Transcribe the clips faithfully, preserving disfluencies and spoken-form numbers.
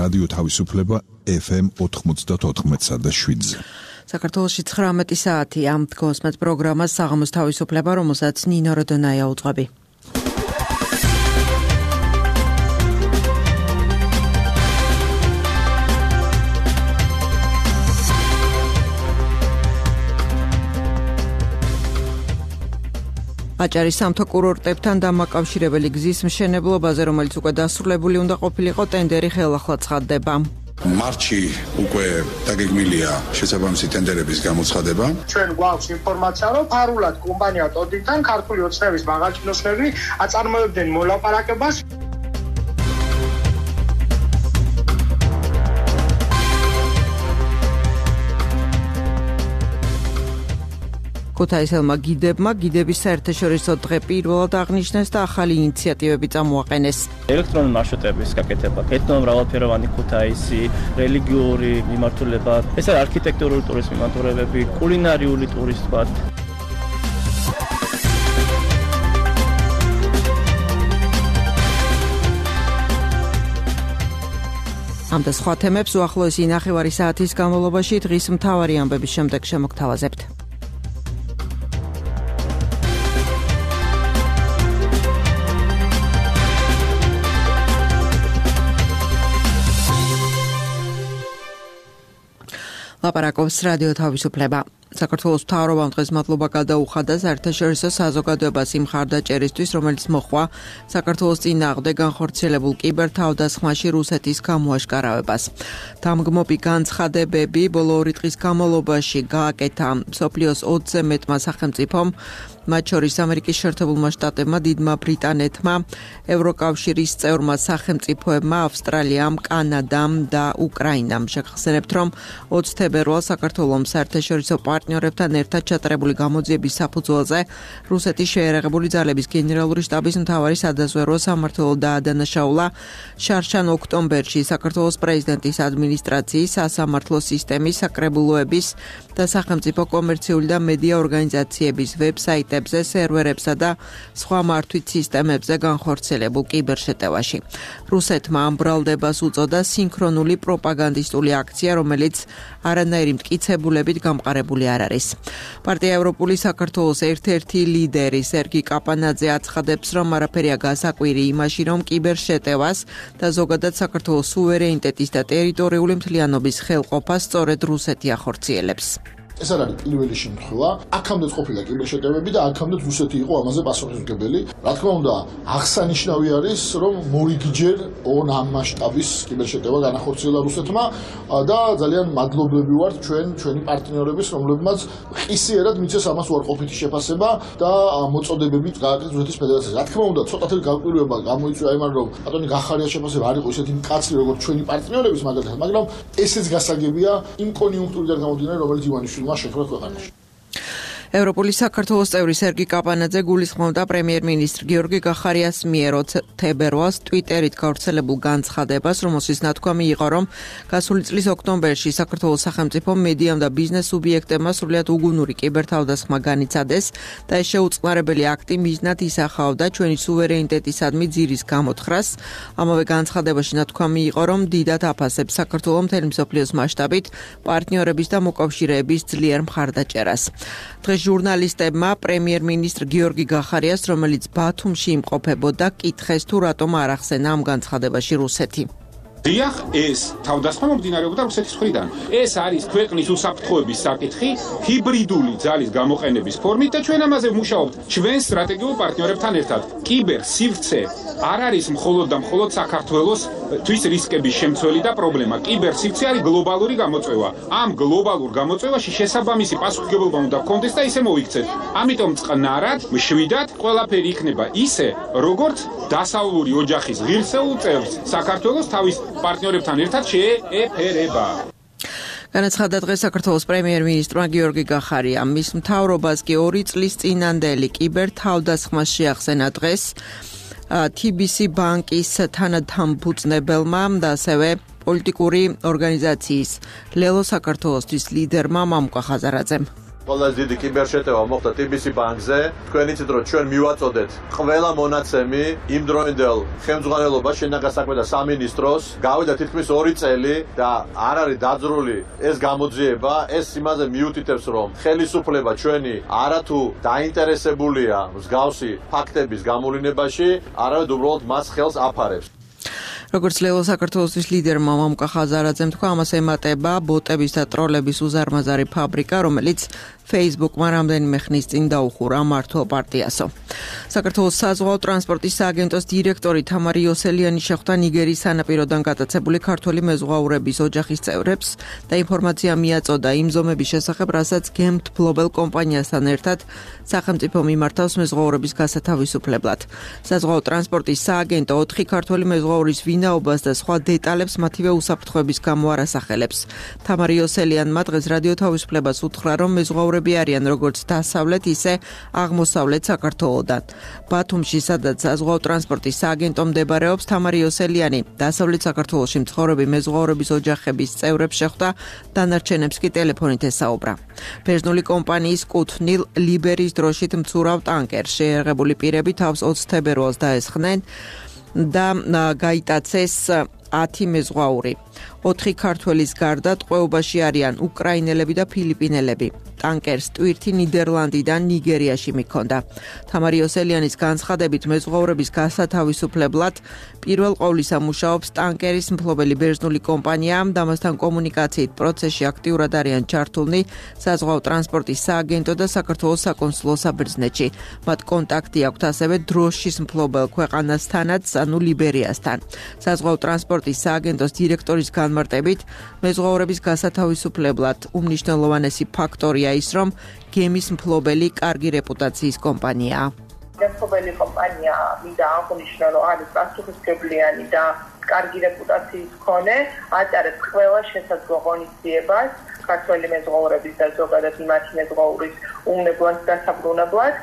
რადიო თავისუფლება ეფ ემ ოთხმოცდაოთხ და შვიდზე. საქართველოში ცხრამეტი საათი ამ თქოსმეთ პროგრამას საღამოს თავისუფლება, რომელსაც ნინო როდონაია უძღვები. აჭარის სამთო კურორტებთან დამაკავშირებელი გზის მშენებლობაზე, რომელიც უკვე დასრულებული უნდა ყოფილიყო, ტენდერი ხელახლა ცხადდება. მარტში უკვე დაგეგმილია შესაბამისი ტენდერების გამოცხადება. ჩვენ გვაქვს ინფორმაცია, რომ ფარულად კომპანია ტოდიდან ქართული ოცნების მაღალჩინოსნები აწარმოებდნენ მოლაპარაკებას. ქუთაისელმა გიდებმა გიდების საერთაშორისო დღე პირველად აღნიშნეს და ახალი ინიციატივები წამოაყენეს. ელექტრონული მარშრუტების გაკეთება, ეთნომრავალფეროვანი ქუთაისი, რელიგიური მიმართულება, ეს არის არქიტექტურული ტურიზმის მიმართულებები, კულინარიული ტურიზმი. ამ და სხვა თემებს უახლოესი ნახევარი საათის განმავლობაში დღის მთავარი ამბების შემდეგ შემოგთავაზებთ. ლაპარაკობს რადიო თავისუფლება. საქართველოს მთავრობამ დღეს მადლობა გადაუხადა საერთაშორისო საზოგადოებას იმ მხარდაჭერისთვის, რომელიც მოჰყვა საქართველოს წინააღმდეგ განხორციელებულ კიბერთავდასხმაში რუსეთის გამოაშკარავებას. დამგმობი განცხადებები ბოლო ორი დღის განმავლობაში გააკეთა მსოფლიოს ოცზე მეტმა სახელმწიფომ, მათ შორის ამერიკის შეერთებულმა შტატებმა, დიდმა ბრიტანეთმა, ევროკავშირის წევრმა სახელმწიფოებმა, ავსტრალიამ, კანადამ და უკრაინამ. შეგახსენებთ, რომ ოცი თებერვალს საქართველოს საერთაშორისო პარტნიორებთან ერთად ჩატარებული გამოძიების საფუძველზე რუსეთის შეიარაღებული ძალების გენერალური შტაბის მთავარი სადაზვერვო სამმართველო დაადანაშაულა შარშან ოქტომბერში საქართველოს პრეზიდენტის ადმინისტრაციის, სასამართლო სისტემის, საკრებულოების და სახელმწიფო კომერციული და მედია ორგანიზაციების ვებსაიტებზე, სერვერებსა და სხვა მართვით სისტემებზე განხორციელებულ კიბერშეტევაში. რუსეთმა ამ ბრალდებას უწოდა სინქრონული პროპაგანდისტული აქცია, რომელიც არანაირი მტკიცებულებით გამყარებული არ არის. პარტია ევროპული საქართველოს ერთ-ერთი ლიდერი სერგი კაპანაძე აცხადებს, რომ არაფერია გასაკვირი იმაში, რომ კიბერშეტევას და ზოგადად საქართველოს სუვერენიტეტის და ტერიტორიული მთლიანობის ხელყოფას სწორედ რუსეთი ახორციელებს. ეს არ არის პირველი შემთხვევა. აქამდეც ყოფილა კიბერშეტევები და აქამდეც რუსეთი იყო ამაზე პასუხისმგებელი. რა თქმა უნდა, აღსანიშნავი არის, რომ მორიგჯერ ორ ამ მასშტაბის კიბერშეტევა განახორციელა რუსეთმა და ძალიან მადლობლები ვართ ჩვენ ჩვენი პარტნიორების, რომლებმაც ყისიერად მიცეს ამას უარყოფითი შეფასება და მოწოდებებით გააკეთეს რუსეთის ფედერაციას. რა თქმა უნდა, ცოტათი გაკვირვება გამოიწვია იმან, რომ ბატონი გახარიას შეფასება არ იყო ისეთი მკაცრი, როგორც ჩვენი პარტნიორების მაგალითად, მაგრამ ესეც გასაგებია იმ კონიუნქტურიდან გამომდინარე, რომელიც ივანიშვილმა შექმნა ქვეყანაში. ევროპული საქართველოს წევრი სერგი კაპანაძე გულისხმობდა პრემიერ-მინისტრ გიორგი გახარიას მიერ ოცი თებერვალს ტვიტერით გავრცელებულ განცხადებას, რომელშიც ნათქვამი იყო, რომ გასული წლის ოქტომბერში საქართველოს სახელმწიფო მედიამ და ბიზნეს სუბიექტებმა სრულიად უგუნური კიბერთავდასხმა განიცადეს და ეს შეუწყნარებელი აქტი მიზნად ისახავდა ჩვენი სუვერენიტეტისადმი ძირის გამოთხრას. ამავე განცხადებაში ნათქვამი იყო, რომ დიდად აფასებს საქართველოს მთელი მსოფლიოს მასშტაბით პარტნიორების და მოკავშირეების ძლიერ მხარდაჭერას. დღეს ჟურნალისტებმა პრემიერ-მინისტრ გიორგი გახარიას, რომელიც ბათუმში იმყოფებოდა, კითხეს თუ რატომ არ ახსენა ამ განცხადებაში რუსეთი. დიახ, ეს თავდასხმა მომდინარეობდა რუსეთის მხრიდან. ეს არის ქვეყნის უსაფრთხოების საკითხი, ჰიბრიდული ძალის გამოყენების ფორმით და ჩვენ ამაზე ვმუშაობთ ჩვენ სტრატეგიულ პარტნიორებთან ერთად. კიბერ სივრცე არ არის მხოლოდ და მხოლოდ საქართველოს თვის რისკების შემცველი და პრობლემა. კიბერ სივრცე არის გლობალური გამოწვევა. ამ გლობალურ გამოწვევაში შესაბამისი პასუხისმგებლობა უნდა გქონდეს და ისე მოიქცეთ. ამიტომ წყნარად, მშვიდად ყველაფერი იქნება ისე, როგორც დასავლური ოჯახის ღირსეულ წევრს საქართველოს თავის პარტნიორებთან ერთად შეეფერება. განაცხადა დღეს საქართველოს პრემიერ-მინისტრმა გიორგი გახარიამ. მის მთავრობას კი ორი წლის წინანდელი კიბერთავდასხმა შეახსენა დღეს თი ბი სი ბანკის თანადამფუძნებელმა და ასევე პოლიტიკური ორგანიზაციის ლელო საქართველოსთვის ლიდერმა მამუკა ხაზარაძემ. ყველაზე დიდი კიბერშეტევა მოხდა ტი ბი სი ბანკზე. თქვენ იცით რომ ჩვენ მივაწოდეთ ყველა მონაცემი იმ დროინდელ ხელმძღვანელობას შინაგან საქმეთა სამინისტროს. გავიდა თითქმის ორი წელი და არ არის დაძრული ეს გამოძიება. ეს იმაზე მიუთითებს რომ ხელისუფლება ჩვენი არათუ დაინტერესებულია მსგავსი ფაქტების გამოვლინებაში, არამედ უბრალოდ მას ხელს აფარებს. როგორც ლელო საქართველოსის ლიდერმა მამუკა ხაზარაძემ თქვა, ამას ემატება ბოტების და ტროლების უზარმაზარი ფაბრიკა, რომელიც Facebook-მა რამდენიმე ხნის წინ დაუხურა მართლ პარტიასო. საქართველოს საზღვაო ტრანსპორტის სააგენტოს დირექტორი თამარი იოსელიანი შეხვდა ნიგერიის სანაპიროდან გატაცებული ქართველი მეზღვაურების ოჯახის წევრებს და ინფორმაცია მიაწოდა იმ ზომების შესახებ, რასაც გემთბლობელ კომპანიასთან ერთად სახელმწიფო მიმართავს მეზღვაურების გასათავისუფლებლად. საზღვაო ტრანსპორტის სააგენტო ოთხი ქართველი მეზღვაურის ვინაობას და სხვა დეტალებს მათივე უსაფრთხოების გამო არ ასახელებს. თამარი იოსელიანმა დღეს რადიო თავისუფლებას უთხრა, რომ მეზღვაურები არიან როგორც დასავლეთ, ისე აღმოსავლეთ საქართველოდან. ბათუმში, სადაც საზღვაო ტრანსპორტის სააგენტო მდებარეობს, თამარი იოსელიანი დასავლეთ საქართველოში მცხოვრები მეზღვაურების ოჯახების წევრებს შეხვდა, დანარჩენებს კი ტელეფონით ესაუბრა. ბერძნული კომპანიის კუთვნილ ლიბერის დროშით მცურავ ტანკერს შეერაღებული პირები თავს ოცი თებერვალს დაესხნენ და გაიტაცეს ათი მეზღვაური. ოთხი ქართველის გარდა ტყვეობაში არიან უკრაინელები და ფილიპინელები. ტანკერს ტვირთი ნიდერლანდიდან ნიგერიაში მიქონდა. თამარი იოსელიანის განცხადებით მეზღვაურების გასათავისუფლებლად პირველ ყოვლისა მუშაობს ტანკერის მფლობელი ბერძნული კომპანია და მასთან კომუნიკაციით პროცესში აქტიურად არიან ჩართულნი საზღვაო ტრანსპორტის სააგენტო და საქართველოს საკონსულო საბერძნეთში. მათ კონტაქტი აქვთ ასევე დროშის მფლობელ ქვეყანასთანაც, ანუ ლიბერიასთან. საზღვაო ტრანსპორტის სააგენტოს დირექტორის განმარტებით მეზღვაურების გასათავისუფლებლად უმნიშვნელოვანესი ფაქტორია ის, რომ გემის მფლობელი კარგი რეპუტაციის კომპანიაა. მფლობელი კომპანია მინდა აღნიშნო, რომ არის პასუხისმგებლიანი და კარგი რეპუტაციის მქონე, ატარებს ყველა შესაძლო ღონისძიებას ქართველი მეზღვაურების და ზოგადად მათი მეზღვაურის უმნებლად და დასაბრუნებლად.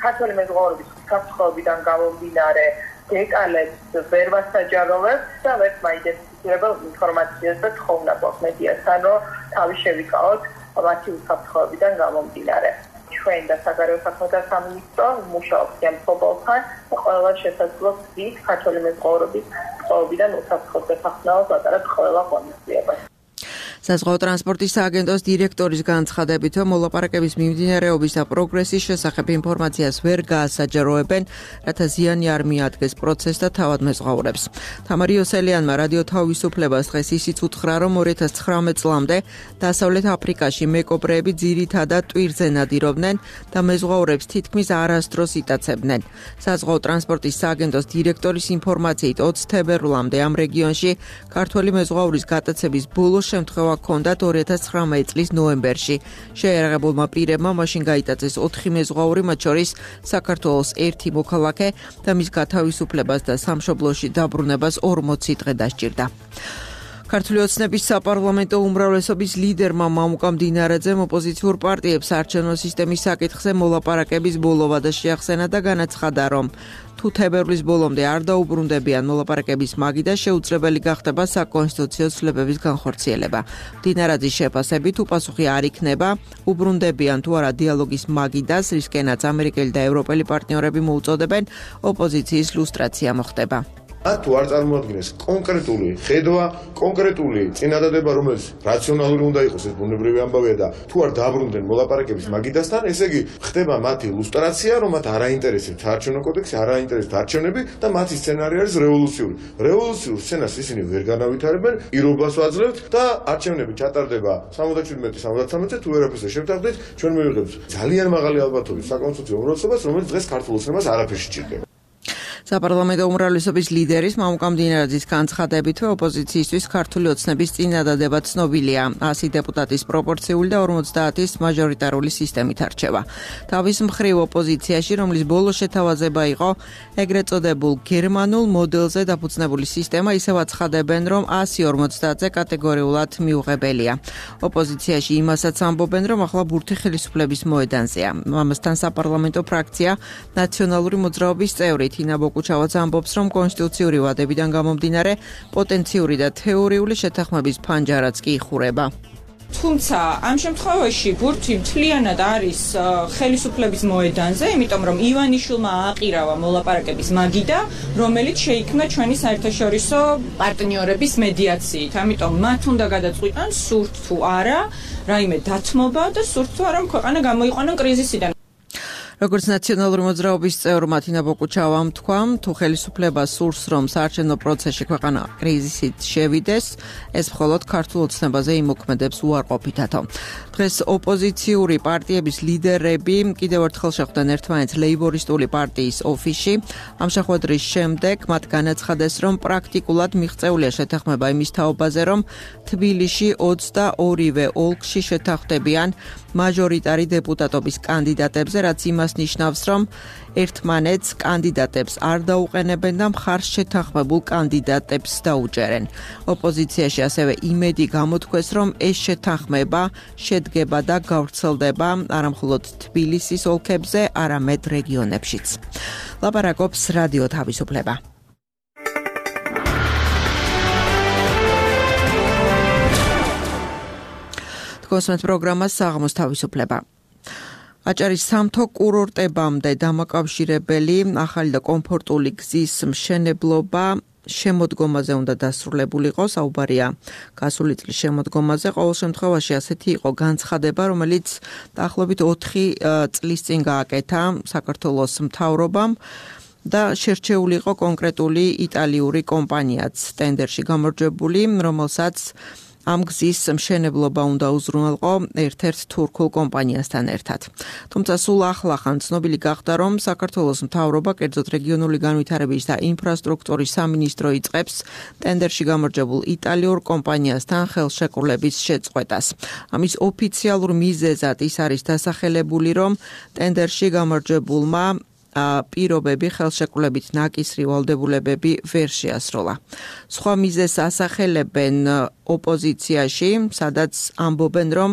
ქართველი მეზღვაურების უსაფრთხოებიდან გამომდინარე დეტალებს ვერ ვასაჯაროვებთ და ვერ მაიდენტიფიცირებელ ინფორმაციას და თხოვნა გვაქვს მედიასთან, რომ თავი შევიკავოთ მათი უსაფრთხოებიდან გამომდინარე. ჩვენ და საგარეო საქმეთა სამინისტრო მუშაობს ამ მფლობელთან და ყველა შესაძლო გზით ქართველი მეზღვაურების ტყვეობიდან უსაფრთხოდ გასახსნელად ატარებთ ყველა ღონისძიებას. საზღვაო ტრანსპორტის სააგენტოს დირექტორის განცხადებით, რომ მოლაპარაკების მიმდინარეობის და პროგრესის შესახებ ინფორმაციას ვერ გაასაჯაროებენ, რათა ზიანი არ მიადგეს პროცესს და თავად მეზღვაურებს. თამარი იოსელიანმა რადიო თავისუფლებას დღეს ისიც უთხრა, რომ ორი ათას ცხრამეტ წლამდე დასავლეთ აფრიკაში მეკობრეები ძირითადად ტვირზე ნადირობდნენ და მეზღვაურებს თითქმის არასდროს იტაცებდნენ. საზღვაო ტრანსპორტის სააგენტოს დირექტორის ინფორმაციით ოცი თებერვლამდე ამ რეგიონში ქართველი მეზღვაურის გატაცების ბოლო შემთხვევა ჰქონდათ ორი ათას ცხრამეტ წლის ნოემბერში. შეერაღებულმა პირებმა მაშინ გაიტაცეს ოთხი მეზღვაური, მათ შორის საქართველოს ერთი მოქალაქე და მის გათავისუფლებას და სამშობლოში დაბრუნებას ორმოცი დღე დასჭირდა. ქართული ოცნების საპარლამენტო უმრავლესობის ლიდერმა მამუკა მდინარაძემ ოპოზიციურ პარტიებს არჩევნო სისტემის საკითხზე მოლაპარაკების ბოლო ვადა შეახსენა და განაცხადა, რომ თუ თებერვლის ბოლომდე არ დაუბრუნდებიან მოლაპარაკების მაგიდა, შეუძლებელი გახდება საკონსტიტუციო ცვლილებების განხორციელება. მდინარაძის შეფასებით, თუ პასუხი არ იქნება, უბრუნდებიან თუ არა დიალოგის მაგიდას, რისკენაც ამერიკელი და ევროპელი პარტნიორები მოუწოდებენ, ოპოზიციის ლუსტრაცია მოხდება. თუ არ წარმოადგენს კონკრეტული ხედვა, კონკრეტული წინადადება, რომელიც რაციონალური უნდა იყოს, ეს ბუნებრივი ამბავია და თუ არ დააბრუნდნენ მოლაპარაკების მაგიდასთან, ესე იგი ხდება მათი ლუსტრაცია, რომ მათ არ აინტერესებს საარჩევნო კოდექსი, არ აინტერესებს არჩევნები და მათი სცენარი არის რევოლუციური. რევოლუციურ სცენას ისინი ვერ განავითარებენ, პირობას ვაძლევთ და არჩევნები ჩატარდება სამოცდაშვიდმეტი სამოცდათვრამეტი თუ ვერაფერს შევთანხმდით, ჩვენ მივიღებთ ძალიან მაღალი ალბათობის საკონსტიტუციო უმრავლესობას, რომელიც დღეს ქართულ ოცნებას არაფერში ჭირდება. საპარლამენტო უმრავლესობის ლიდერის მამუკა მდინარაძის განცხადებით, ოპოზიციისთვის ქართული ოცნების წინადადება ცნობილია. ასი დეპუტატის პროპორციული და ორმოცდაათის მაჟორიტარული სისტემით არჩევა. თავის მხრივ ოპოზიციაში, რომლის ბოლო შეთავაზება იყო ეგრეთ წოდებულ გერმანულ მოდელზე დაფუძნებული სისტემა, ისევ აცხადებენ, რომ ასი ორმოცდაათზე კატეგორიულად მიუღებელია. ოპოზიციაში იმასაც ამბობენ, რომ ახლა ბურთი ხელისუფლების მოედანზეა. ამასთან საპარლამენტო ფრაქცია ნაციონალური მოძრაობის წევრი თინა კუჩავაც ამბობს, რომ კონსტიტუციური ვადებიდან გამომდინარე პოტენციური და თეორიული შეთანხმების ფანჯარაც კი იხურება. თუმცა ამ შემთხვევაში ბურთი მთლიანად არის ხელისუფლების მოედანზე, იმიტომ რომ ივანიშვილმა ააყირავა მოლაპარაკების მაგიდა, რომელიც შეიქმნა ჩვენი საერთაშორისო პარტნიორების მედიაციით. ამიტომ მათ უნდა გადაწყვიტონ სურთ თუ არა რაიმე დათმობა და სურთ თუ არა ქვეყანა გამოიყვანონ კრიზისიდან. როგორც ნაციონალური მოძრაობის წევრ მათინა ბოკუჩავამ თქვა, თუ ხელისუფლება სურს, რომ საარჩევნო პროცესში ქვეყანა კრიზისით შევიდეს, ეს მხოლოდ ქართულ ოცნებაზე იმოქმედებს უარყოფითათო. დღეს ოპოზიციური პარტიების ლიდერები კიდევ ერთხელ შეხვდნენ ერთმანეთს ლეიბორისტული პარტიის ოფისში. ამ შეხვედრის შემდეგ მათ განაცხადეს, რომ პრაქტიკულად მიღწეულია შეთანხმება იმის თაობაზე, რომ თბილისში ოცდაორივე ოლქში შეთანხმდებიან მაჟორიტარი დეპუტატობის კანდიდატებზე, რაც იმას ნიშნავს, რომ ერთმანეთს კანდიდატებს არ დაუყენებენ და მხარს შეთანხმებულ კანდიდატებს დაუჭერენ. ოპოზიციაში ასევე იმედი გამოთქვეს, რომ ეს შეთანხმება შედგება და გავრცელდება არა მხოლოდ თბილისის ოლქებზე, არამედ რეგიონებშიც. ლაპარაკობს რადიო თავისუფლება. გოსმეთ პროგრამას საღამოს თავისუფლება. აჭარის სამთო კურორტებამდე დამაკავშირებელი ახალი და კომფორტული გზის მშენებლობა შემოდგომაზე უნდა დასრულებულიყო. საუბარია გასული წლის შემოდგომაზე. ყოველ შემთხვევაში ასეთი იყო განცხადება, რომელიც დაახლოებით ოთხი წლის წინ გააკეთა საქართველოს მთავრობამ და შერჩეული იყო კონკრეტული იტალიური კომპანიაც ტენდერში გამარჯვებული, რომელსაც ამ გზის მშენებლობა უნდა უზრუნველყო ერთ-ერთ თურქულ კომპანიასთან ერთად. თუმცა სულ ახლახან ცნობილი გახდა, რომ საქართველოს მთავრობა, კერძოდ რეგიონული განვითარების და ინფრასტრუქტურის სამინისტრო იწყებს ტენდერში გამარჯვებულ იტალიურ კომპანიასთან ხელშეკრულების შეწყვეტას. ამის ოფიციალურ მიზეზად ის არის დასახელებული, რომ ტენდერში გამარჯვებულმა პირობები ხელშეკრულებით ნაკისრი ვალდებულებები ვერ შეასრულა. სხვა მიზეზს ასახელებენ ოპოზიციაში, სადაც ამბობენ, რომ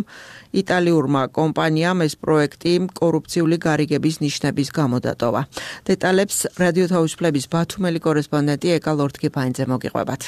იტალიურმა კომპანიამ ეს პროექტი კორუფციული გარიგების ნიშნების გამო დატოვა. დეტალებს რადიო თავისუფლების ბათუმელი კორესპონდენტი ეკა ლორთქიფაინძე მოგიყვებათ.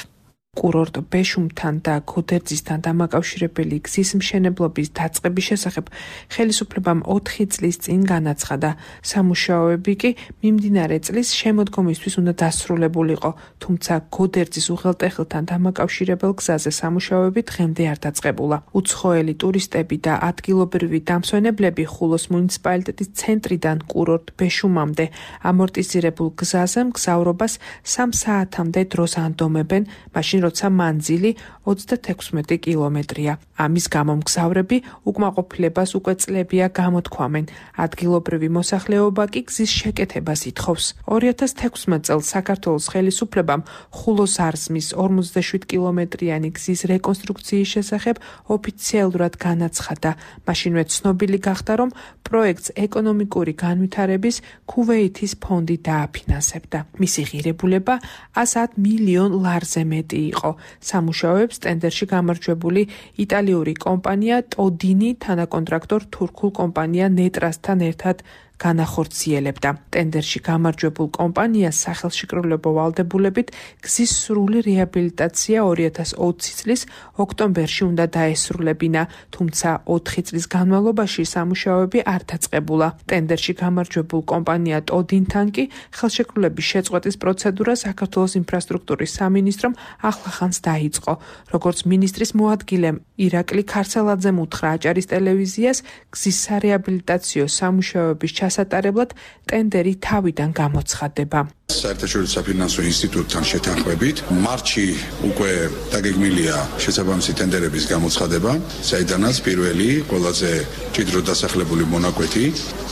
კურორტ ბეშუმთან და გოდერძისთან დამაკავშირებელი გზის მშენებლობის დაწყების შესახებ ხელისუფლებამ ოთხი წლის წინ განაცხადა. სამუშაოები კი მიმდინარე წლის შემოდგომისთვის უნდა დასრულებულიყო, თუმცა გოდერძის უღელტეხილთან დამაკავშირებელ გზაზე სამუშაოები დღემდე არ დაწყებულა. უცხოელი ტურისტები და ადგილობრივი დამსვენებლები ხულოს მუნიციპალიტეტის ცენტრიდან კურორტ ბეშუმამდე ამორტიზირებულ გზაზე მგზავრობას სამ საათამდე დროს ანდომებენ, მაშინ როცა მანძილი ოცდათექვსმეტი კილომეტრია. ამის გამო მგზავრები უკმაყოფილებას უკვე წლებია გამოთქვამენ. ადგილობრივი მოსახლეობა კი გზის შეკეთებას ითხოვს. ორი ათას თექვსმეტ წელს საქართველოს ხელისუფლებამ ხულოს არზმის ორმოცდაშვიდ კილომეტრიანი გზის რეკონსტრუქციის შესახებ ოფიციალურად განაცხადა. მაშინვე ცნობილი გახდა, რომ პროექტს ეკონომიკური განვითარების ქუვეითის ფონდი დააფინანსებდა. მისი ღირებულება ას მილიონ ლარზე მეტი იყო. სამუშაოებს ტენდერში გამარჯვებული იტალიური კომპანია ტოდინი თანაკონტრაქტორ თურქულ კომპანია ნეტრასთან ერთად განახორციელებდა. ტენდერში გამარჯვებულ კომპანიას სახელშეკრულებო ვალდებულებით გზის სრული რეაბილიტაცია ორი ათას ოცი წლის ოქტომბერში უნდა დაესრულებინა, თუმცა ოთხი წლის განმავლობაში სამუშაოები არ დაწყებულა. ტენდერში გამარჯვებულ კომპანია ტოდინთან კი ხელშეკრულების შეწყვეტის პროცედურა საქართველოს ინფრასტრუქტურის სამინისტრომ ახლახანს დაიწყო. როგორც მინისტრის მოადგილემ ირაკლი ქარცელაძემ უთხრა აჭარის ტელევიზიას, გზის სარეაბილიტაციო სამუშაოების ჩასატარებლად ტენდერი თავიდან გამოცხადება. საერთაშორისო საფინანსო ინსტიტუტთან შეთანხმებით მარტში უკვე დაგეგმილია შესაბამისი ტენდერების გამოცხადება, საიდანაც პირველი ყველაზე მჭიდროდ დასახლებული მონაკვეთი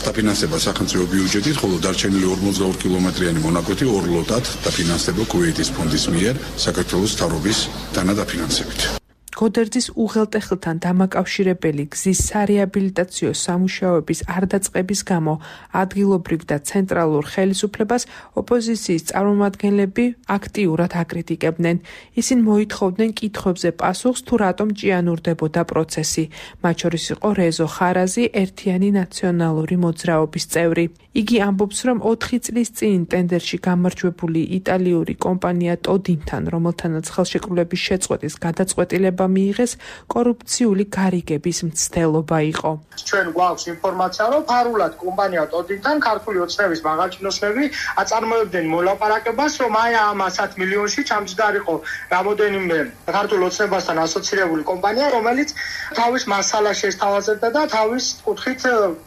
დაფინანსდება სახელმწიფო ბიუჯეტით, ხოლო დარჩენილი ორმოცდაორი კილომეტრიანი მონაკვეთი ორ ლოტად დაფინანსდება ქუვეითის ფონდის მიერ საქართველოს მთავრობის დანადაფინანსებით. გოდერძის უღელტეხილთან დამაკავშირებელი გზის სარეაბილიტაციო სამუშაოების არ დაწყების გამო ადგილობრივ და ცენტრალურ ხელისუფლებას ოპოზიციის წარმომადგენლები აქტიურად აკრიტიკებდნენ. ისინი მოითხოვდნენ კითხვებზე პასუხს, თუ რატომ ჭიანურდებოდა პროცესი. მათ შორის იყო რეზო ხარაზი, ერთიანი ნაციონალური მოძრაობის წევრი. იგი ამბობს, რომ ოთხი წლის წინ ტენდერში გამარჯვებული იტალიური კომპანია ტოდინთან, რომელთანაც ხელშეკრულების შეწყვეტის გადაწყვეტილება განცხადება მიიღეს, კორუფციული გარიგების მცდელობა იყო. ჩვენ გვაქვს ინფორმაცია, რომ ფარულად კომპანია ტოდინთან ქართული ოცნების მაღალჩინოსნები აწარმოებდნენ მოლაპარაკებას, რომ აი ამ ასათ მილიონში ჩამჯდარიყო რამოდენიმე ქართულ ოცნებასთან ასოცირებული კომპანია, რომელიც თავის მასალას შესთავაზებდა და თავის კუთხით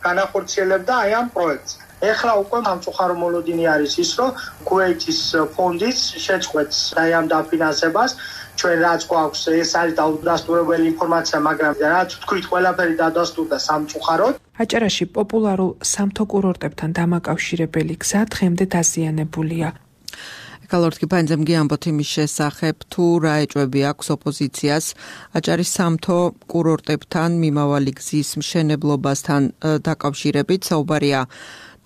განახორციელებდა აი ამ პროექტს. ეხლა უკვე სამწუხარო მოლოდინი არის ის, რომ ქუვეითის ფონდის შეწყვეტს აი ამ დაფინანსებას. ჩვენ რაც გვაქვს, ეს არის დაუდასტურებელი ინფორმაცია, მაგრამ რაც თქვით, ყველაფერი დადასტურდა სამწუხაროდ. აჭარაში პოპულარულ სამთო კურორტებთან დამაკავშირებელი გზა დღემდე დაზიანებულია. კალორტკი პანძემგი ამბობთ იმის შესახებ, თუ რა ეჭვები აქვს ოპოზიციას აჭარის სამთო კურორტებთან მიმავალი გზის მშენებლობასთან დაკავშირებით. საუბარია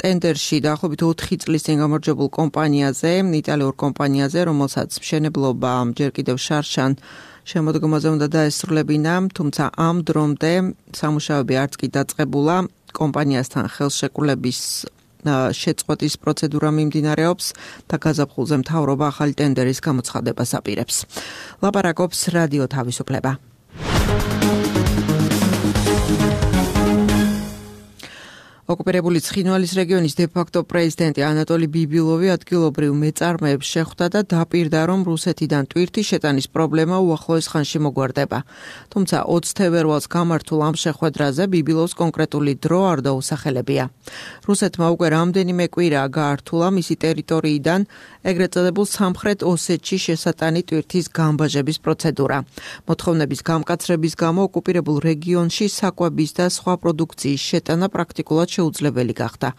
ტენდერში დაახლოებით ოთხი წლის წინ გამარჯვებულ კომპანიაზე, იტალიურ კომპანიაზე, რომელსაც მშენებლობა ჯერ კიდევ შარშან შემოდგომაზე უნდა დაესრულებინა, თუმცა ამ დრომდე სამუშაოები არც კი დაწყებულა. კომპანიასთან ხელშეკრულების შეწყვეტის პროცედურა მიმდინარეობს და გაზაფხულზე მთავრობა ახალი ტენდერის გამოცხადებას აპირებს. ლაპარაკობს რადიო თავისუფლება. ოკუპირებული ცხინვალის რეგიონის დე-ფაქტო პრეზიდენტი ანატოლი ბიბილოვი ადგილობრივ მეწარმეებს შეხვდა და დაპირდა, რომ რუსეთიდან ტვირთის შეტანის პრობლემა უახლოეს ხანში მოგვარდება. თუმცა ოცი თებერვალს გამართულ ამ შეხვედრაზე ბიბილოვს კონკრეტული დრო არ დაუსახელებია. რუსეთმა უკვე რამდენიმე კვირაა გაართულა მისი ტერიტორიიდან ეგრეთ წოდებულ სამხრეთ ოსეთში შესატანი ტვირთის გამბაჟების პროცედურა. მოთხოვნების გამკაცრების გამო ოკუპირებულ რეგიონში საკვების და სხვა პროდუქციის შეტანა პრაქტიკულად შეუძლებელი გახდა.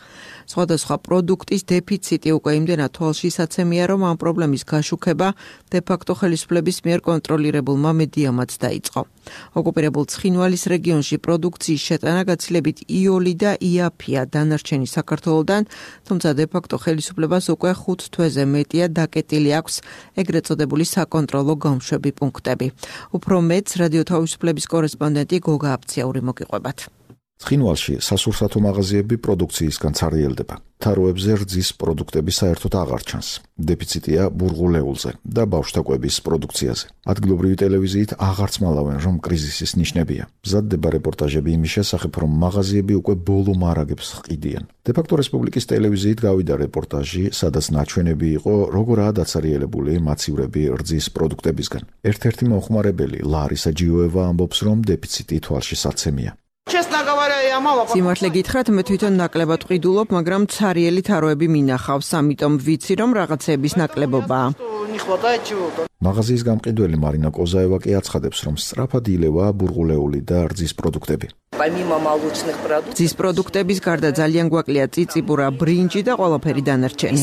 სხვადასხვა პროდუქტის დეფიციტი უკვე იმდენად თვალშისაცემია, რომ ამ პრობლემის გაშუქება დე-ფაქტო ხელისუფლების მიერ კონტროლირებულმა მედიამაც დაიწყო. ოკუპირებულ ცხინვალის რეგიონში პროდუქციის შეტანა გაცილებით იოლი და იაფია დანარჩენი საქართველოდან, თუმცა დე-ფაქტო ხელისუფლებას უკვე ხუთ თვეზე მეტია დაკეტილი აქვს ეგრეთ წოდებული საკონტროლო გამშვები პუნქტები. უფრო მეტს რადიო თავისუფლების კორესპონდენტი გოგა აფციაური მოგიყვებათ. ცხინვალში სასურსათო მაღაზიები პროდუქციისგან ცარიელდება. თაროებზე რძის პროდუქტები საერთოდ აღარ ჩანს. დეფიციტია ბურღულეულზე და ბავშვთა კვების პროდუქციაზე. ადგილობრივი ტელევიზიით აღარც მალავენ, რომ კრიზისის ნიშნებია. მზადდება რეპორტაჟები იმის შესახებ, რომ მაღაზიები უკვე ბოლო მარაგებს ჰყიდიან. დე-ფაქტო რესპუბლიკის ტელევიზიით გავიდა რეპორტაჟი, სადაც ნაჩვენები იყო, როგორაა დაცარიელებული მაცივრები რძის პროდუქტებისგან. ერთ-ერთი მომხმარებელი ლარისა ჯიოევა ამბობს, რომ დეფიციტი თვალშისაცემია. სიმართლე გითხრათ, მე თვითონ ნაკლებად ვყიდულობ, მაგრამ ცარიელი თაროები მინახავს, ამიტომ ვიცი, რომ რაღაცების ნაკლებობაა. მაღაზიის გამყიდველი მარინა კოზაევა კი აცხადებს, რომ სწრაფად ილევა ბურღულეული და რძის პროდუქტები. რძის პროდუქტების გარდა ძალიან გვაკლია წიწიბურა, ბრინჯი და ყველაფერი დანარჩენი.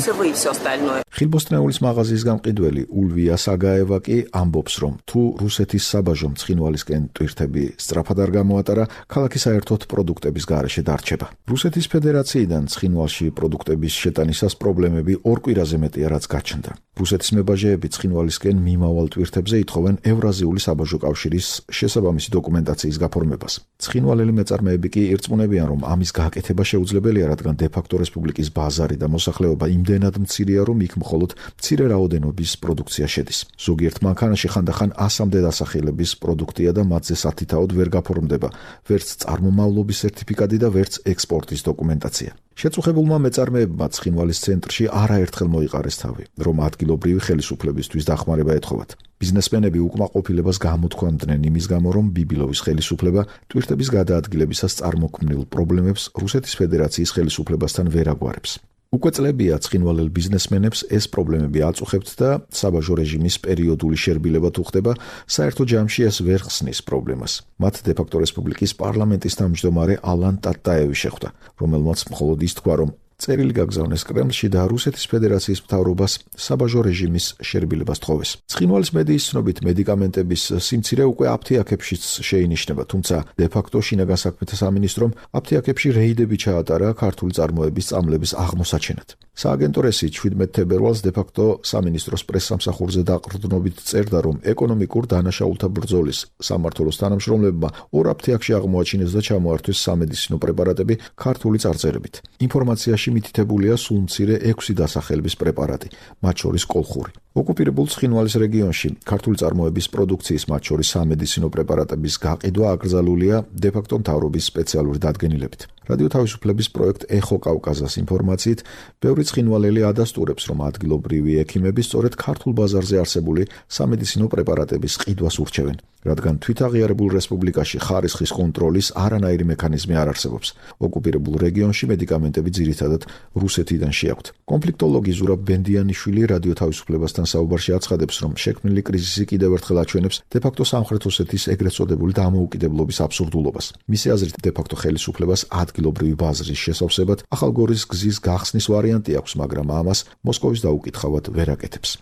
ხილბოსტნეულის მაღაზიის გამყიდველი ულვია საგაევა კი ამბობს, რომ თუ რუსეთის საბაჟო მცხინვალისკენ ტვირთები სწრაფად არ გამოატარა, ქალაქი საერთოდ პროდუქტების გარეშე დარჩება. რუსეთის ფედერაციიდან ცხინვალში პროდუქტების შეტანისას პრობლემები ორ კვირაზე მეტია, რაც გაჩნდა. რუსეთის მებაჟეები ცხინვალისკენ მიმავალ ტვირთებზე ითხოვენ ევრაზიული საბაჟო კავშირის შესაბამისი დოკუმენტაციის გაფორმებას. ცხინვალელი მეწარმეები კი ირწმუნებიან, რომ ამის გაკეთება შეუძლებელია, რადგან დე-ფაქტო რესპუბლიკის ბაზარი და მოსახლეობა იმდენად მცირეა, რომ იქ მხოლოდ მცირე რაოდენობის პროდუქცია შედის. ზოგიერთ მანქანაში ხანდახან ასამდე დასახელების პროდუქტია და მათზე სათითაოდ ვერ გაფორმდება ვერც წარმომავლობის სერტიფიკატი და ვერც ექსპორტის დოკუმენტაცია. შეწუხებულმა მეწარმეებმა ცხინვალის ცენტრში არაერთხელ მოიყარეს თავი, რომ ადგილობრივი ხელისუფლებისთვის დახმარება ეთხოვათ. ბიზნესმენები უკმაყოფილებას გამოთქვამდნენ იმის გამო, რომ ბიბილოვის ხელისუფლება ტვირთების გადაადგილებისას წარმოქმნილ პრობლემებს რუსეთის ფედერაციის ხელისუფლებასთან ვერ აგვარებს. უკვე წლებია ცხინვალელ ბიზნესმენებს ეს პრობლემები აწუხებთ და საბაჟო რეჟიმის პერიოდული შერბილება თუ ხდება, საერთო ჯამში ეს ვერ ხსნის პრობლემას. მათ დე-ფაქტო რესპუბლიკის პარლამენტის თავმჯდომარე ალან ტატაევი შეხვდა, რომელმაც მხოლოდ ის თქვა, რომ წერილი გაგზავნეს კრემლში და რუსეთის ფედერაციის მთავრობას საბაჟო რეჟიმის შერბილებას თხოვეს. ცხინვალის მედიის ცნობით მედიკამენტების სიმცირე უკვე აფთიაქებშიც შეინიშნება, თუმცა დე-ფაქტო შინაგან საქმეთა სამინისტრომ აფთიაქებში რეიდები ჩაატარა ქართული წარმოების წამლების აღმოსაჩენად. სააგენტო რესი შვიდმეტ თებერვალს დე-ფაქტო სამინისტროს პრესსამსახურზე დაყრდნობით წერდა, რომ ეკონომიკურ დანაშაულთა ბრძოლის სამმართველოს თანამშრომლებმა ორ აფთიაქში აღმოაჩინეს და ჩამოართვეს სამედიცინო პრეპარატები ქართული წარწერებით. ინფორმაციაში მითითებულია სულ მცირე ექვსი დასახელების პრეპარატი, მათ შორის კოლხური. ოკუპირებულ ცხინვალის რეგიონში ქართული წარმოების პროდუქციის, მათ შორის სამედიცინო პრეპარატების გაყიდვა აკრძალულია დე-ფაქტო მთავრობის სპეციალური დადგენილებით. რადიო თავისუფლების პროექტ ეხო კავკაზას ინფორმაციით, ბევრი ცხინვალელი ადასტურებს, რომ ადგილობრივი ექიმები სწორედ ქართულ ბაზარზე არსებული სამედიცინო პრეპარატების ყიდვას ურჩევენ, რადგან თვითაღიარებულ რესპუბლიკაში ხარისხის კონტროლის არანაირი მექანიზმი არ არსებობს. ოკუპირებულ რეგიონში მედიკამენტები ძირითადად რუსეთიდან შეაქვთ. კონფლიქტოლოგი ზურაბ ბენდიანიშვილი რადიო თავისუფლებასთან საუბარში აცხადებს, რომ შექმნილი კრიზისი კიდევ ერთხელ აჩვენებს დე-ფაქტო სამხრეთ ოსეთის ეგრეთ წოდებული დამოუკიდებლობის აბსურდულობას. მისი აზრით, დე-ფაქტო ხელისუფლებას ადგილობრივი ბაზრის შესავსებად ახალგორის გზის გახსნის ვარიანტი აქვს, მაგრამ ამას მოსკოვის დაუკითხავად ვერ აკეთებს.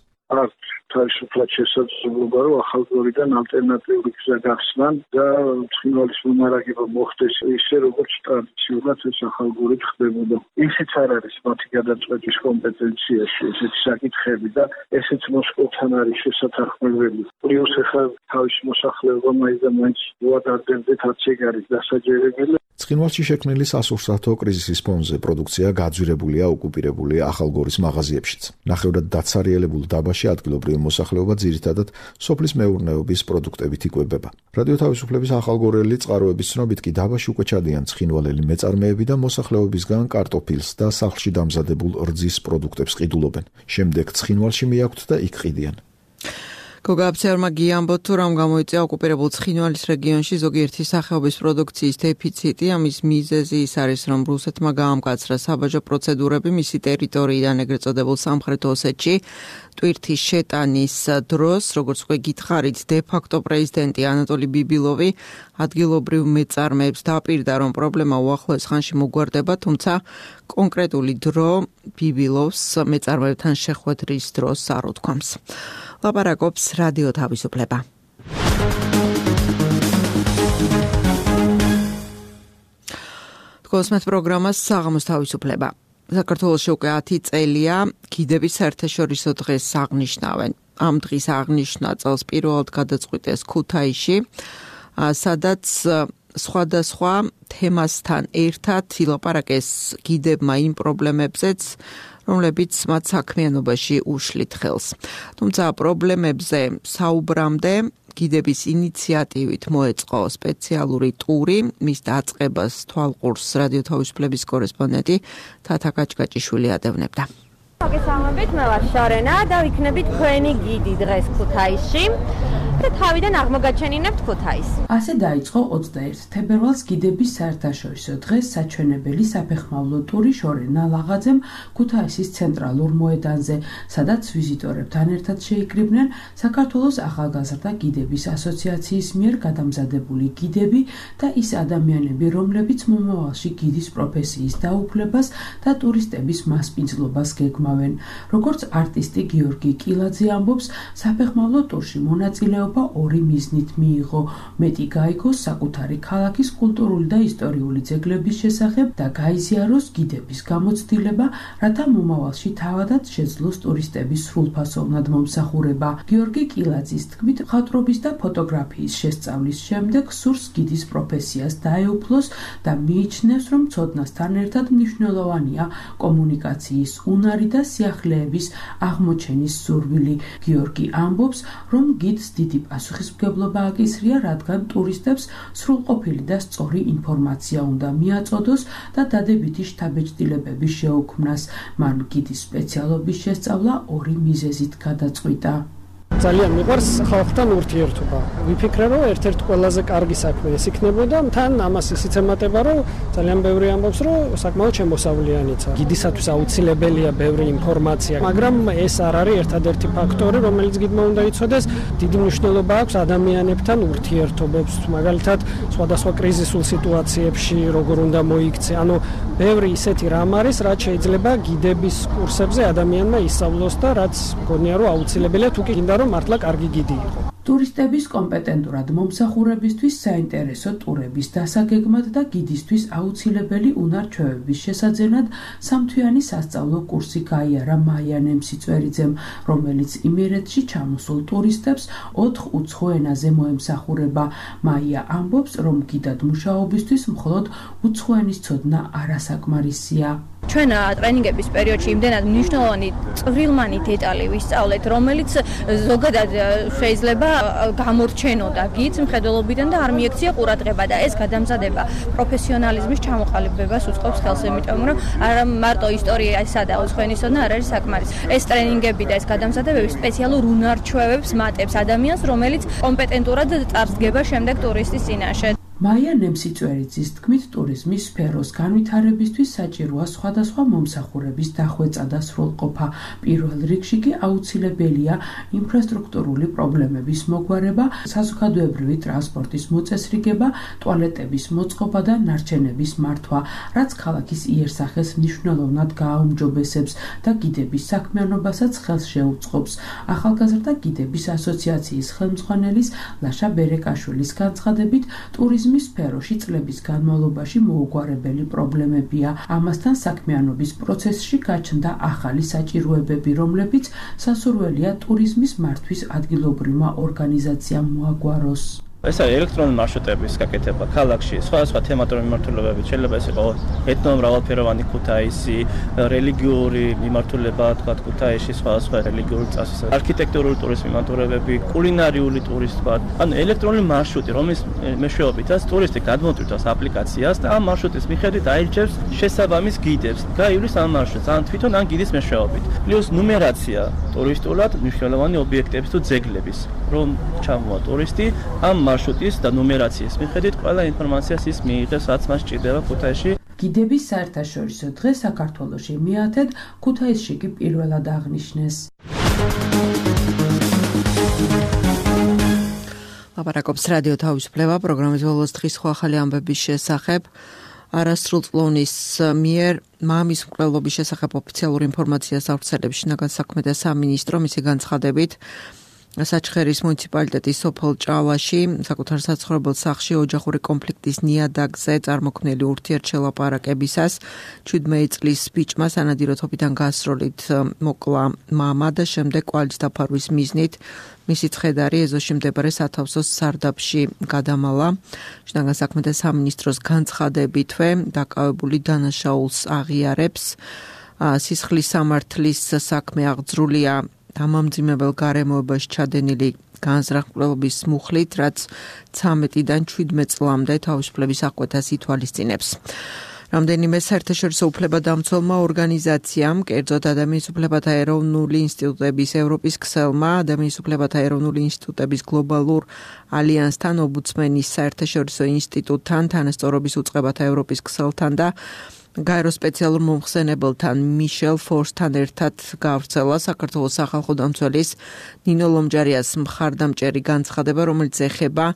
თავისუფლად შესაძლებლობა, რომ ახალგორიდან ალტერნატიული გზა გახსნან და ცხინვალის მომარაგება მოხდეს ისე, როგორც ტრადიციულად ეს ახალგორით ხდებოდა. ისიც არ არის მათი გადაწყვეტის კომპეტენციაში ესეთი საკითხები და ესეც მოსკოვთან არის შესათანხმებელი. პლუს ახლა თავის მოსახლეობა მაინც და მაინც უადარდებდეთ, რაც ეგ არის დასაჯერებელი. ცხინვალში შექმნილი სასურსათო კრიზისის ფონზე პროდუქცია გაძვირებულია ოკუპირებული ახალგორის მაღაზიებშიც. ნახევრად დაცარიელებულ დაბაში ადგილობრივი მოსახლეობა ძირითადად სოფლის მეურნეობის პროდუქტებით იკვებება. რადიო თავისუფლების ახალგორელი წყაროების ცნობით კი დაბაში უკვე ჩადიან ცხინვალელი მეწარმეები და მოსახლეობისგან კარტოფილს და სახლში დამზადებულ რძის პროდუქტებს ყიდულობენ. შემდეგ ცხინვალში მიაქვთ და იქ ყიდიან. გოგა აბცერმა გიამბოთ, თუ რამ გამოიწვია ოკუპირებულ ცხინვალის რეგიონში ზოგიერთი სახეობის პროდუქციის დეფიციტი. ამის მიზეზი ის არის, რომ რუსეთმა გაამკაცრა საბაჟო პროცედურები მისი ტერიტორიიდან ეგრეთ წოდებულ სამხრეთ ოსეთში. ტვირთის შეტანის დროს, როგორც უკვე გითხარით, დე-ფაქტო პრეზიდენტი ანატოლი ბიბილოვი ადგილობრივ მეწარმეებს დაპირდა, რომ პრობლემა უახლოეს ხანში მოგვარდება, თუმცა კონკრეტული დრო ბიბილოვს მეწარმეებთან შეხვედრის დროს არ უთქვამს. ლაპარაკობს რადიო თავისუფლება. თქოს მათ პროგრამას საღამოს თავისუფლება. საქართველოში უკვე ათი წელია გიდების საერთაშორისო დღეს აღნიშნავენ. ამ დღის აღნიშვნა წელს პირველად გადაწყვიტეს ქუთაისში, სადაც სხვადასხვა თემასთან ერთად ილაპარაკეს გიდებმა იმ პრობლემებზეც, რომლებიც მათ საქმიანობაში უშლით ხელს. თუმცა პრობლემებზე საუბრამდე გიდების ინიციატივით მოეწყო სპეციალური ტური, მის დაწყებას თვალყურს რადიო თავისუფლების კორესპონდენტი თათა კაჭკაჭიშვილი ადევნებდა. მოგესალმებით, მე ვარ შორენა და ვიქნები თქვენი გიდი დღეს ქუთაისში და თავიდან აღმოგაჩენინებთ ქუთაისს. ასე დაიწყო ოცდაერთი თებერვალს გიდების საერთაშორისო დღეს საჩვენებელი საფეხმავლო ტური შორენა ლაღაძემ ქუთაისის ცენტრალურ მოედანზე, სადაც ვიზიტორებთან ერთად შეიკრიბნენ საქართველოს ახალგაზრდა გიდების ასოციაციის მიერ გადამზადებული გიდები და ის ადამიანები, რომლებიც მომავალში გიდის პროფესიის დაუფლებას და ტურისტების მასპინძლობას გეგმავენ. როგორც არტისტი გიორგი კილაძე ამბობს, საფეხმავლო ტურში მონაწილეობა ორი მიზნით მიიღო: მეტი გაიგოს საკუთარი ქალაქის კულტურული და ისტორიული ძეგლების შესახებ და გაიზიაროს გიდების გამოცდილება, რათა მომავალში თავადაც შეძლოს ტურისტების სრულფასოვნად მომსახურება. გიორგი კილაძის თქმით, მხატვრობის და ფოტოგრაფიის შესწავლის შემდეგ სურს გიდის პროფესიას დაეუფლოს და მიიჩნევს, რომ ცოდნასთან ერთად მნიშვნელოვანია კომუნიკაციის უნარი და სიახლეების აღმოჩენის სურვილი. გიორგი ამბობს, რომ გიდს დიდი პასუხისმგებლობა აკისრია, რადგან ტურისტებს სრულყოფილი და სწორი ინფორმაცია უნდა მიაწოდოს და დადებითი შთაბეჭდილებების შეუქმნას. მან გიდის სპეციალობის შესწავლა ორი მიზეზით გადაწყვიტა. ძალიან მიყვარს ხალხთან ურთიერთობა. ვიფიქრე, რომ ერთ-ერთი ყველაზე კარგი საქმე ეს იქნებოდა, თან ამას ისიც ემატება, რომ ძალიან ბევრი ამბობს, რომ საკმაოდ შემოსავლიანიცა. გიდისათვის აუცილებელია ბევრი ინფორმაცია, მაგრამ ეს არ არის ერთადერთი ფაქტორი, რომელიც გიდმა უნდა იცოდეს. დიდი მნიშვნელობა აქვს ადამიანებთან ურთიერთობებს, მაგალითად, სხვადასხვა კრიზისულ სიტუაციებში როგორ უნდა მოიქცე. ანუ ბევრი ისეთი რამ არის, რაც შეიძლება გიდების კურსებზე ადამიანმა ისწავლოს და რაც მგონია, რომ აუცილებელია თუ კი გინდა რომ მართლა კარგი გიდი იყო. ტურისტების კომპეტენტურად მომსახურებისთვის საინტერესო ტურების დასაგეგმად და გიდისთვის აუცილებელი უნარ-ჩვევების შესაძენად სამთვიანი სასწავლო კურსი გაიარა მაია ნემსიწვერიძემ, რომელიც იმერეთში ჩამოსულ ტურისტებს ოთხ უცხო ენაზე მოემსახურება. მაია ამბობს, რომ გიდად მუშაობისთვის მხოლოდ უცხო ენის ცოდნა არასაკმარისია. ჩვენ ტრენინგების პერიოდში იმდენად მნიშვნელოვანი წვრილმანი დეტალი ვისწავლეთ, რომელიც ზოგადად შეიძლება გამორჩენოდა გიც მხედველობიდან და არ მიექცია ყურადღება და ეს გადამზადება პროფესიონალიზმის ჩამოყალიბებას უწყობს ხელს, იმიტომ რომ არა მარტო ისტორიისა და უცხო ენის ცოდნა არ არის საკმარისი. ეს ტრენინგები და ეს გადამზადებები სპეციალურ უნარ-ჩვევებს მატებს ადამიანს, რომელიც კომპეტენტურად წარსდგება შემდეგ ტურისტის წინაშე. მაია ნემსიწვერიძის თქმით, ტურიზმის სფეროს განვითარებისთვის საჭიროა სხვადასხვა მომსახურების დახვეწა და სრულყოფა. პირველ რიგში კი აუცილებელია ინფრასტრუქტურული პრობლემების მოგვარება, საზოგადოებრივი ტრანსპორტის მოწესრიგება, ტუალეტების მოწყობა და ნარჩენების მართვა, რაც ქალაქის იერსახეს მნიშვნელოვნად გააუმჯობესებს და გიდების საქმიანობასაც ხელს შეუწყობს. ახალგაზრდა გიდების ასოციაციის ხელმძღვანელის ლაშა ბერეკაშვილის განცხადებით, ტურიზმი ტურიზმის სფეროში წლების განმავლობაში მოუგვარებელი პრობლემებია. ამასთან საქმიანობის პროცესში გაჩნდა ახალი საჭიროებები, რომლებიც სასურველია ტურიზმის მართვის ადგილობრივმა ორგანიზაციამ მოაგვაროს. ეს არის ელექტრონული მარშრუტების გაკეთება ქალაქში, სხვადასხვა თემატური მიმართულებებით. შეიძლება ეს იყოს ეთნომრავალფეროვანი ქუთაისი, რელიგიური მიმართულება, თქვა ქუთაისში, სხვადასხვა რელიგიური წასის, არქიტექტურული ტურიზმის მიმართულებები, კულინარიული ტურიზმი, თქვა. ანუ ელექტრონული მარშრუტი, რომლის მეშვეობითაც ტურისტი გადმოწვევს აპლიკაციას და ამ მარშრუტის მიხედვით აირჩევს შესაბამის გიდებს. გაივლის ამ მარშრუტს, ან თვითონ ან გიდის მეშვეობით. პლუს ნუმერაცია ტურისტულად მნიშვნელოვანი ობიექტების თუ ძეგლების, რომ ჩამოვა ტურისტი ამ მარშრუტის და ნუმერაციის მიხედვით ყველა ინფორმაციას ის მიიღებს, რაც მას სჭირდება ქუთაისში. გიდების საერთაშორისო დღე საქართველოში მიათედ, ქუთაისში კი პირველად აღნიშნეს. ლაპარაკობს რადიო თავისუფლება, პროგრამის ბოლოს დღის სხვა ახალი ამბების შესახებ. არასრულწლოვნის მიერ მამის მკვლელობის შესახებ ოფიციალური ინფორმაციას ავრცელებს შინაგან საქმეთა სამინისტრო, მისი განცხადებით. საჩხერის მუნიციპალიტეტის სოფელ ჭალაში საკუთარ საცხოვრებელ სახლში ოჯახური კონფლიქტის ნიადაგზე წარმოქმნილი ურთიერთშელაპარაკებისას შვიდმეტი წლის ბიჭმა სანადიროთობიდან გასროლით მოკლა მამა და შემდეგ კვალის დაფარვის მიზნით მისი ცხედარი ეზოში მდებარე სათავსოს სარდაფში გადამალა. შინაგან საქმეთა სამინისტროს განცხადებითვე დაკავებული დანაშაულს აღიარებს. სისხლის სამართლის საქმე აღძრულია დამამძიმებელ გარემოებაში ჩადენილი განზრახ-მკვლელობის მუხლით, რაც ცამეტიდან შვიდმეტ წლამდე თავისუფლების აღკვეთას ითვალისწინებს. რამდენიმე საერთაშორისო უფლებადამცველმა ორგანიზაციამ, კერძოდ ადამიანის უფლებათა ეროვნული ინსტიტუტების ევროპის ქსელმა, ადამიანის უფლებათა ეროვნული ინსტიტუტების გლობალურ ალიანსთან, ომბუდსმენის საერთაშორისო ინსტიტუტთან, თანასწორობის უწყებათა ევროპის ქსელთან და გაერო სპეციალურ მომხსენებელთან მიშელ ფორსთან ერთად გავრცელა საქართველოს სახალხო დამცველის ნინო ლომჯარიას მხარდამჭერი განცხადება, რომელიც ეხება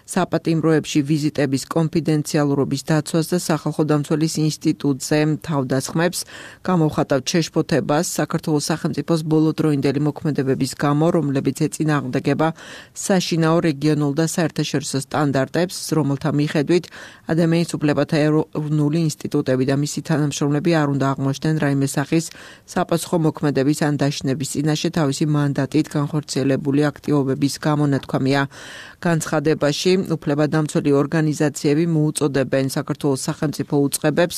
საპატიმროებში ვიზიტების კონფიდენციალურობის დაცვას და სახალხო დამცველის ინსტიტუტზე თავდასხმებს. გამოვხატავთ შეშფოთებას საქართველოს სახელმწიფოს ბოლოდროინდელი მოქმედებების გამო, რომლებიც ეწინააღმდეგება საშინაო რეგიონულ და საერთაშორისო სტანდარტებს, რომელთა მიხედვით ადამიანის უფლებათა ეროვნული ინსტიტუტები და მისი თანამშრომლები არ უნდა აღმოჩნდნენ რაიმე სახის საპასუხო მოქმედების ან დაშინების წინაშე თავისი მანდატით განხორციელებული აქტივობების გამო, ნათქვამია განცხადებაში. უფლებადამცველი ორგანიზაციები მოუწოდებენ საქართველოს სახელმწიფო უწყებებს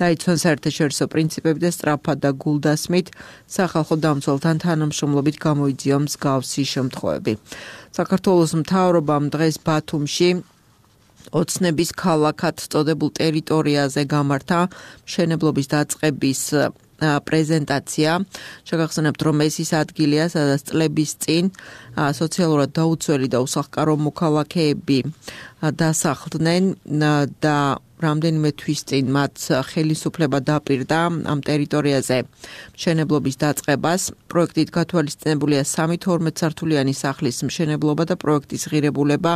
დაიცვან საერთაშორისო პრინციპები და სწრაფად და გულდასმით სახალხო დამცველთან თანამშრომლობით გამოიძიონ მსგავსი შემთხვევები. საქართველოს მთავრობამ დღეს ბათუმში ოცნების ქალაქად წოდებულ ტერიტორიაზე გამართა მშენებლობის დაწყების პრეზენტაცია. შეგახსენებთ, რომ ეს ის ადგილია, სადაც წლების წინ სოციალურად დაუცველი და უსახლკარო მოქალაქეები დასახლდნენ და რამდენიმე თვის წინ მათ ხელისუფლება დაპირდა ამ ტერიტორიაზე მშენებლობის დაწყებას. პროექტით გათვალისწინებულია სამი თორმეტსართულიანი სახლის მშენებლობა და პროექტის ღირებულება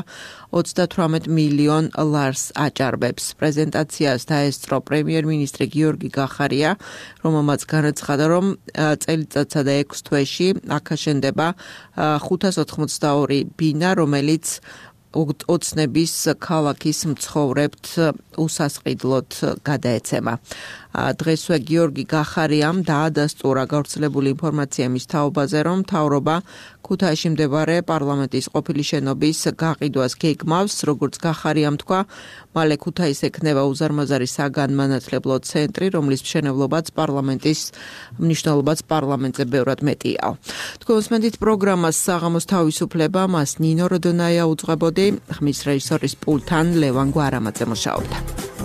ოცდათვრამეტ მილიონ ლარს აჭარბებს. პრეზენტაციას დაესწრო პრემიერ-მინისტრი გიორგი გახარია, რომელმაც განაცხადა, რომ წელიწადსა და ექვს თვეში აქ აშენდება ხუთას ოთხმოცდაორი ბინა, რომელიც ოცნების ქალაქის მცხოვრებთ უსასყიდლოდ გადაეცემა. დღესვე გიორგი გახარიამ დაადასტურა გავრცელებული ინფორმაცია მის თაობაზე, რომ მთავრობა ქუთაისში მდებარე პარლამენტის ყოფილი შენობის გაყიდვას გეგმავს. როგორც გახარიამ თქვა, მალე ქუთაისს ექნება უზარმაზარი საგანმანათლებლო ცენტრი, რომლის მშენებლობაც პარლამენტის მნიშვნელობაც პარლამენტზე ბევრად მეტია. თქვენ უსმენთ პროგრამას საღამოს თავისუფლება, მას ნინო როდონაია უძღვებოდი, ხმის რეჟისორის პულთან ლევან გვარამაძე მუშაობდა.